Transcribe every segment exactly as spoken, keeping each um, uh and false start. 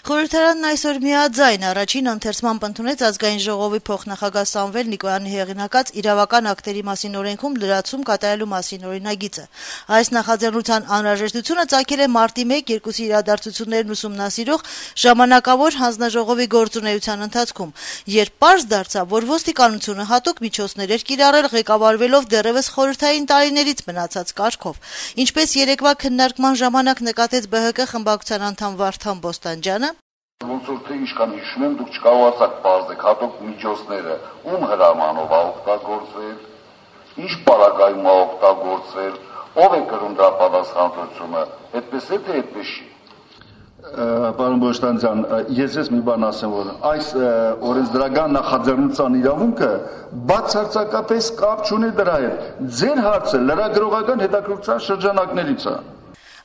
Խորհրդարանն այսօր միաձայն առաջին ընթերցմամբ ընդունեց Ազգային ժողովի փոխնախագահ Սամվել Նիկոյանի հեղինակած իրավական ակտերի մասին օրենքում լրացում կատարելու մասին օրինագիծը։ Այս նախաձեռնության անհրաժեշտությունը ծագել է մարտի մեկ-երկուսի իրադարձություններն ուսումնասիրող ժամանակավոր հանձնաժողովի գործունեության ընթացքում, երբ պարզ դարձավ, որ ոստիկանությունը հատուկ միջոցներ էր կիրառել ղեկավարվելով դեռևս խորհրդային տարիներից մնացած կարգով։ Ինչպես երեկվա քննարկման ժամանակ նկատեց Բ Հ Կ խմբակցության անդամ Վարդան Բոստանջյանը, Ոնց որ թե ինչքան հիշում եմ, դուք չկարողացաք պարզել հատուկ միջոցները ում հրամանով է օգտագործվել, ինչ պարագայում է օգտագործվել, ով է կրում դրա պատասխանատվությունը, այդպես է թե այդպես չի։ Պարոն Բոստանջյան, ես ես մի բան ասեմ, որ այս օրենսդրական նախաձեռնության իրավունքը բացարձակապես կապ չունի դրա հետ։ Ձեր հարցը լրագրողական հետաքրքրության շրջանակներից է։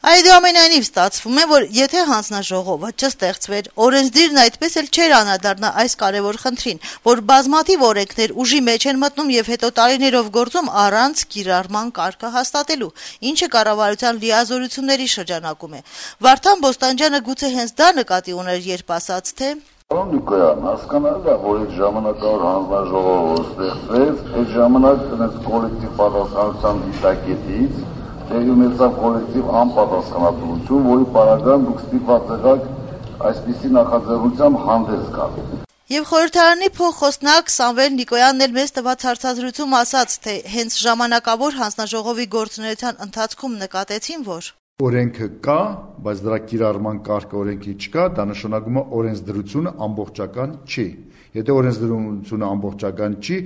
Այդուամենայնիվ ստացվում է, որ եթե հանձնաժողովը չստեղծվեր, օրենսդիրն այդպես էլ չէր անդրադառնա այս կարևոր խնդրին, որ բազմաթիվ օրենքներ ուժի մեջ են մտնում եւ հետո տարիներով գործում առանց կիրառման կարգը հաստատելու, ինչը կառավարության լիազորությունների շրջանակում է։ Վարդան Բոստանջյանը գուցե հենց դա նկատի ուներ, երբ ասաց, թե Պարոն Նիկոյան, հասկանալի է, որ այդ ժամանակավոր հանձնաժողովը ստեղծվեց, այդ ժամանակ դրանց կոլեկտիվ պատասխանատվության դիտակետից ունեցավ կոլեկտիվ անպատասխանատվություն, որի պարագան դուք ստիպված եղաք այսպիսի նախաձեռնությամբ հանդես գալ։ Եվ խորհրդարանի փոխխոսնակ Սամվել Նիկոյանն էլ մեզ տված հարցազրույցում ասաց, թե հենց ժամանակավոր հանձնաժողովի գործունեության ընթացքում նկատեցին, որ օրենքը կա, բայց դրա կիրառման կարգը օրենքի չկա, դա նշանակում է օրենսդրությունը ամբողջական չի։ Եթե օրենսդրությունը ամբողջական չի,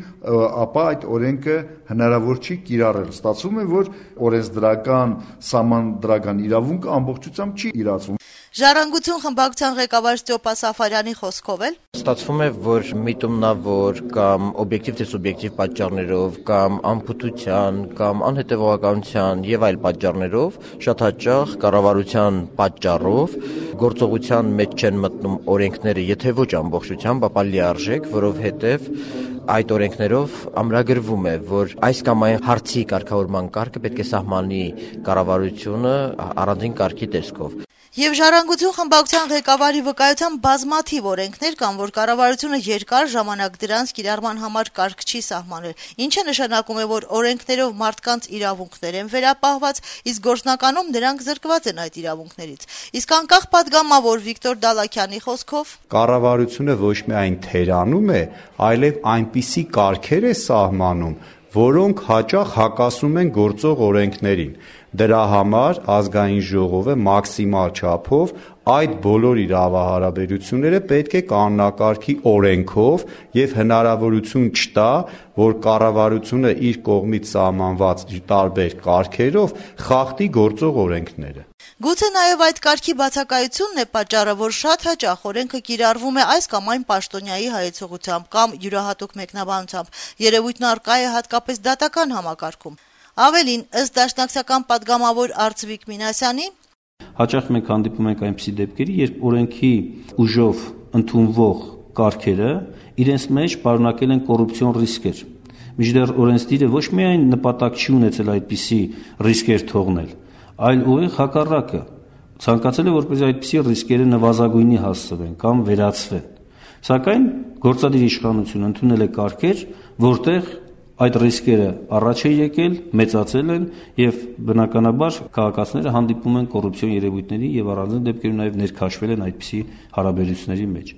ապա այդ օրենքը հնարավոր չի կիրառել։ Ստացվում է, որ օրենսդրական, սահմանադրական իրավունքը ամբողջությամբ չի իրացվում։ Ժառանգություն խմբակցության ղեկավար Ստյոպա Սաֆարյանի խոսքով էլ ստացվում է, որ միտումնավոր կամ օբյեկտիվ թե սուբյեկտիվ պատճառներով կամ անփութության կամ անհետևողականության եւ այլ պատճառներով շատ հաճախ կառավարության պատճառով գործողության մեջ չեն մտնում օրենքները, եթե ոչ ամբողջությամբ, ապա լիարժեք, որովհետեւ այդ օրենքներով ամրագրվում է, որ այս կամ այն հարցի կարգավորման կարգը պետք է սահմանի կառավարությունը առանձին կարգի տեսքով։ Եվ ժառանգություն խմբակցության ղեկավարի վկայությամբ բազմաթիվ օրենքներ կան, որ կառավարությունը երկար ժամանակ դրանց կիրառման համար կարգ չի սահմանել, ինչը նշանակում է, որ օրենքներով մարդկանց իրավունքներ են վերապահված, իսկ գործնականում նրանք զրկված են այդ իրավունքներից։ Իսկ անկախ падգամավոր Վիկտոր Դալաքյանի խոսքով կառավարությունը ոչ միայն թերանում է, այլև այնպիսի կարգեր է սահմանում, որոնք հաճախ հակասում են գործող օրենքներին։ Դրա համար ազգային ժողովը մաքսիմալ չափով այդ բոլոր իրավահարաբերությունները պետք է կանոնակարգի օրենքով եւ հնարավորություն չտա, որ կառավարությունը իր կողմից սահմանված տարբեր կարգերով խախտի գործող օրենքները։ Գուցե նաև այդ կարգի բացակայությունն է պատճառը, որ շատ հաճախ օրենքը կիրառվում է այս կամ այն պաշտոնյայի հայեցողությամբ կամ յուրահատուկ մեկնաբանությամբ, երևույթն առկա է հատկապես դատական համակարգում։ Ավելին, ըստ դաշնակցական падգամավոր Արծվիկ Մինասյանի, հաճախ մենք հանդիպում ենք այնպիսի դեպքերի, երբ օրենքի ուժով ընդունվող կարգերը իրենց մեջ պարունակել են կոռուպցիոն ռիսկեր։ Մինչդեռ օրենսդիրը ոչ միայն նպատակ չի ունեցել այդպիսի ռիսկեր թողնել, այլ ուղիղ հակառակը ցանկացել է, որպեսզի այդպիսի ռիսկերը նվազագույնի հասցվեն կամ վերացվեն։ Սակայն գործադիր իշխանությունը ընդունել է կարգեր, որտեղ այդ ռիսկերը առաջ է եկել, մեծացել են եւ բնականաբար քաղաքացիները հանդիպում են կոռուպցիոն երևույթների եւ առանձին դեպքերում նաեւ ներքաշվել են այդպիսի հարաբերությունների մեջ։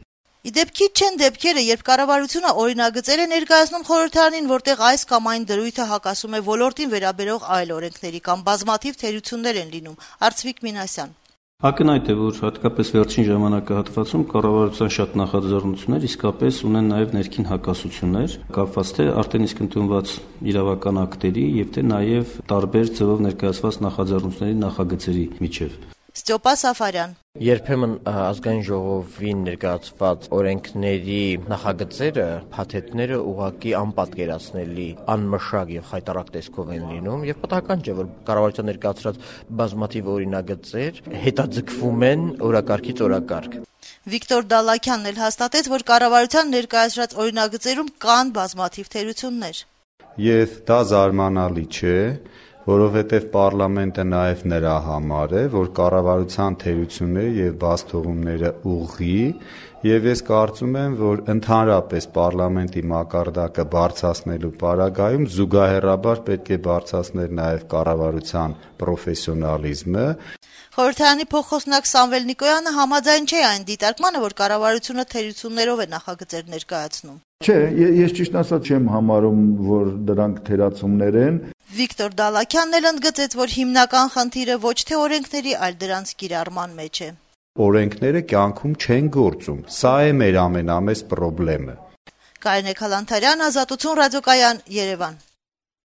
Իդեպքի չեն դեպքերը, երբ կառավարությունը օրինագծեր է ներկայացնում խորհրդարանին, որտեղ այս կամ այն դրույթը հակասում է ոլորտին վերաբերող այլ օրենքների կամ բազմաթիվ թերություններ են լինում։ Արծվիկ Մինասյան. Ակնհայտ է, որ հատկապես վերջին ժամանակահատվածում կառավարության շատ նախաձեռնություններ իսկապես ունեն նաև ներքին հակասություններ, կապված թե արդեն իսկ ընդունված իրավական ակտերի եւ թե նաև տարբեր ձևով ներկայացված նախաձեռնությունների նախագծերի միջև։ Ստյոպա Սաֆարյան. Երբեմն ազգային ժողովին ներկայացված օրենքների նախագծերը, փաթեթները ուղղակի անպատկերացնելի, անմշակ եւ խայտառակ տեսքով են լինում եւ պատահական չէ, որ կառավարության ներկայացրած բազմաթիվ օրինագծեր հետաձգվում են օրակարգից օրակարգ։ Վիկտոր Դալաքյանն էլ հաստատեց, որ կառավարության ներկայացրած օրինագծերում կան բազմաթիվ թերություններ։ Եվ դա զարմանալի չէ, որովհետև պարլամենտը նաև նրա համար է, որ կառավարության թերությունները եւ բացթողումները ուղղի, եւ ես կարծում եմ, որ ընդհանրապես պարլամենտի մակարդակը բարձրացնելու պարագայում զուգահեռաբար պետք է բարձրացնել նաև կառավարության պրոֆեսիոնալիզմը։ Խորհրդարանի փոխխոսնակ Սամվել Նիկոյանը համաձայն չէ այն դիտարկմանը, որ կառավարությունը թերություններով է նախագծեր ներկայացնում։ Չէ, ես ճիշտ ասած չեմ համարում, որ դրանք թերացումներ են։ Վիկտոր Դալաքյանն էլ ընդգծեց, որ հիմնական խնդիրը ոչ թե օրենքների, այլ դրանց կիրառման մեջ է։ Օրենքները կյանքում չեն գործում։ Սա է մեր ամենամեծ խնդիրը։ Կարինե Քալանթարյան, Ազատություն ռադիոկայան, Երևան։